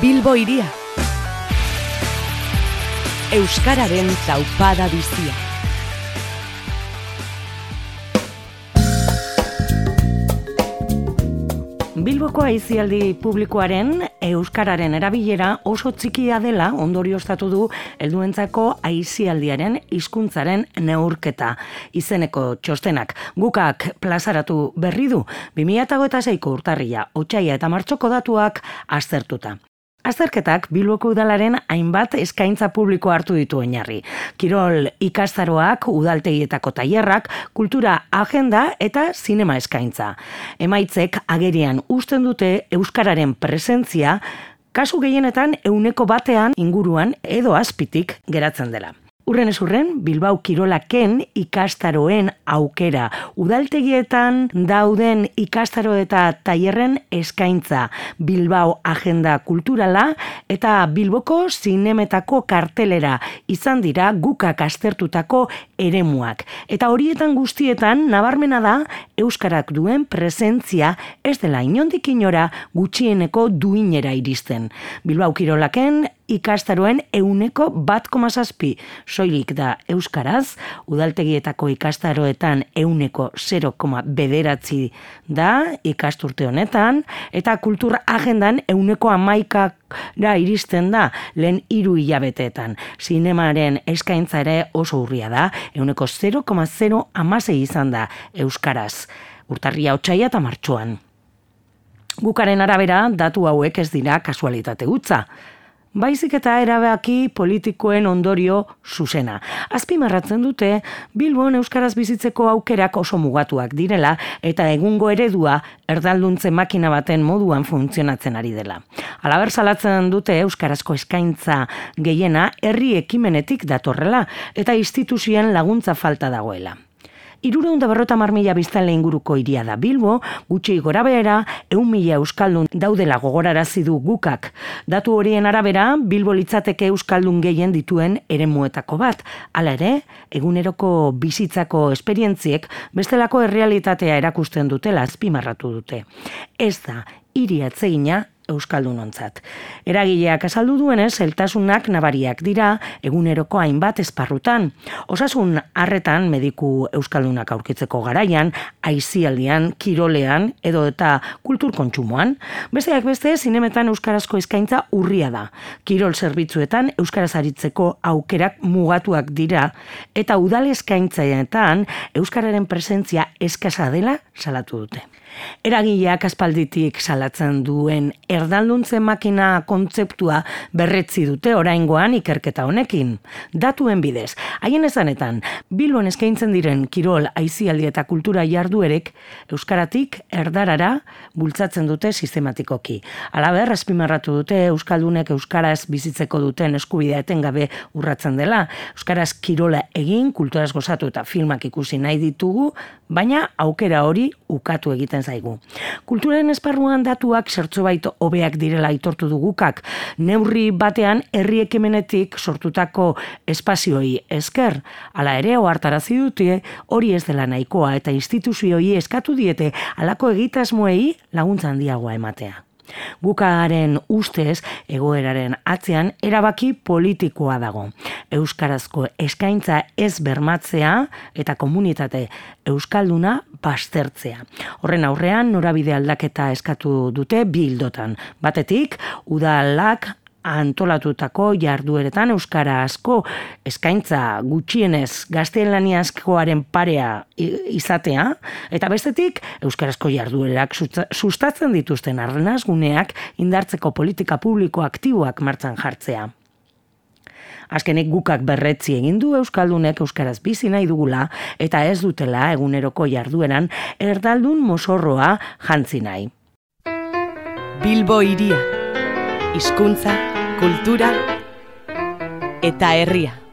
Bilbo hiria. Euskararen taupada bizia. Bilboko aisialdi publikoaren euskararen erabilera oso txikia dela ondorioztatu du helduentzako aisialdiaren hizkuntzaren neurketa izeneko txostenak. Gukak plazaratu berri du 2026ko urtarrila, otsaila eta martxoko datuak aztertuta. Azterketak Bilboko udalaren hainbat eskaintza publiko hartu ditu oinarri. Kirol ikastaroak, udaltegietako tailerrak, kultura agenda eta zinema eskaintza. Emaitzek agerian uzten dute euskararen presentzia kasu gehienetan 100% inguruan edo azpitik geratzen dela. Urrenez urren, Bilbao kirolaken ikastaroen aukera, udaltegietan dauden ikastaro eta tailerren eskaintza, Bilbao agenda kulturala eta Bilboko zinemetako kartelera izan dira Gukak aztertutako eremuak. Eta horietan guztietan nabarmena da euskarak duen presentzia ez dela inondik inora gutxieneko duinera iristen. Bilbao kirolaken ikastaroen 1,7% soilik da euskaraz, udaltegietako ikastaroetan 0,9% da ikasturte honetan, eta kultur agendan 1,11% iristen da lehen 3 hilabeteetan. Zinemaren eskaintza ere oso urria da, 0,016% izan da euskaraz, urtarria, otsaila eta martxoan. Gukaren arabera, datu hauek ez dira kasualitate hutsa. Baizik eta erabaki politikoen ondorio zuzena. Azpimarratzen dute, Bilbon euskaraz bizitzeko aukerak oso mugatuak direla eta egungo eredua erdalduntze makina baten moduan funtzionatzen ari dela. Halaber salatzen dute euskarazko eskaintza gehiena herri ekimenetik datorrela eta instituzioen laguntza falta dagoela. 350.000 biztanle inguruko hiria da Bilbo, gutxi gorabehera 100.000 euskaldun daudela gogorarazi du Gukak. Datu horien arabera, Bilbo litzateke euskaldun gehien dituen eremuetako bat. Hala ere, eguneroko bizitzako esperientziek bestelako errealitatea erakusten dutela azpimarratu dute. Ez da hiri atsegina euskaldunontzat. Eragileak azaldu duenez, zailtasunak nabariak dira eguneroko hainbat esparrutan. Osasun arretan mediku euskaldunak aurkitzeko garaian, aisialdian, kirolean edo eta kultur kontsumoan. Besteak beste, zinemetan euskarazko eskaintza urria da. Kirol zerbitzuetan euskaraz aritzeko aukerak mugatuak dira eta udal eskaintzaetan euskararen presentzia eskasa dela salatu dute. Eragileak aspalditik salatzen duen erdalduntze makina kontzeptua berretzi dute oraingoan ikerketa honekin. Datuen bidez, haien esanetan, Bilbon eskaintzen diren kirol, aisialdi eta kultura jarduerek euskaratik erdarara bultzatzen dute sistematikoki. Halaber, azpimarratu dute euskaldunek euskaraz bizitzeko duten eskubidea etengabe urratzen dela. Euskaraz kirola egin, kulturaz gozatu eta filmak ikusi nahi ditugu, baina aukera hori ukatu egiten zaigu. Kulturaren esparruan datuak zertxobait hobeak direla aitortu du Gukak. Neurri batean herri ekimenetik sortutako espazioi esker. Hala ere ohartarazi dute hori ez dela nahikoa eta instituzioi eskatu diete halako egitasmoei laguntza handiagoa ematea. Gukaren ustez egoeraren atzean erabaki politikoa dago. Euskarazko eskaintza ez bermatzea eta komunitate euskalduna baztertzea. Horren aurrean norabide aldaketa eskatu dute bi ildotan. Batetik, udalak antolatutako jardueretan euskarazko eskaintza gutxienez gaztelaniazkoaren parea izatea, eta bestetik euskarazko jarduerak sustatzen dituzten arnasguneak indartzeko politika publiko aktiboak martxan jartzea. Azkenik Gukak berretzi egin du euskaldunek euskaraz bizi nahi dugula eta ez dutela eguneroko jardueran erdaldun mozorroa jantzi nahi. Bilbo hiria. Hizkuntza, kultura eta herria.